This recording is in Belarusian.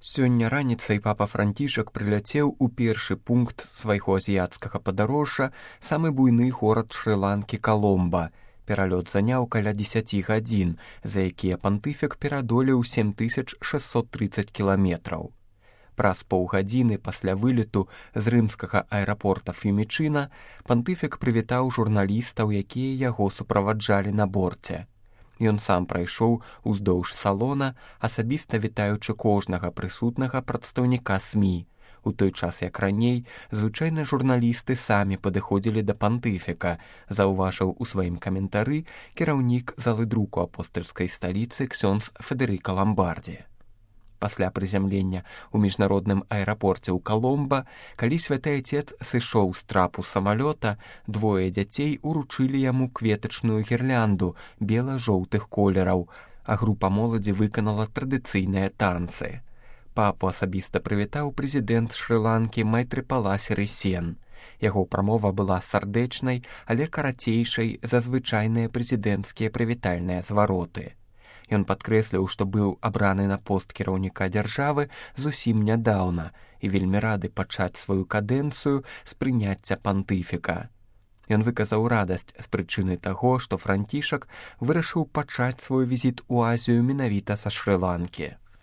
Сёння раніцай папа Францішак прыляцеў у першы пункт свайго азіяцкага падарожжа, самы буйны горад Шры-Ланкі Каломба. Пералёт заняў каля 10 гадзін, за якія пантыфік перадолеў 7630 кіламетраў. Праз паўгадзіны пасля вылету з рымскага аэрапорта Ф'юмічына пантыфік прывітаў журналістаў, якія яго суправаджалі на борце. Ён сам прайшоў уздоўж салона, асабіста вітаючы кожнага прысутнага прадстаўніка СМІ. У той час, як раней, звычайна журналісты самі падыходзілі да пантыфіка, заўважыў у сваім каментары кіраўнік залы друку апостальскай сталіцы ксёндз Федэрыка Ламбардзі. Пасля прызямлення ў міжнародным аэрапорце ў Каломба, калі святы айцец сышоў з трапу самалёта, двое дзяцей уручылі яму кветачную гірлянду бела-жоўтых колераў, а група моладзі выканала традыцыйныя танцы. Папу асабіста прывітаў прэзідэнт Шры-Ланкі Майтрыпала Сірысен. Яго прамова была сардэчнай, але карацейшай за звычайныя прэзідэнцкія прывітальныя звароты. Ён падкрэсліў, што быў абраны на пост кіраўніка дзяржавы зусім нядаўна і вельмі рады пачаць сваю кадэнцыю з прыняцця пантыфіка. Ён выказаў радасць з прычыны таго, што Францішак вырашыў пачаць свой візіт у Азію менавіта са Шры-Ланкі.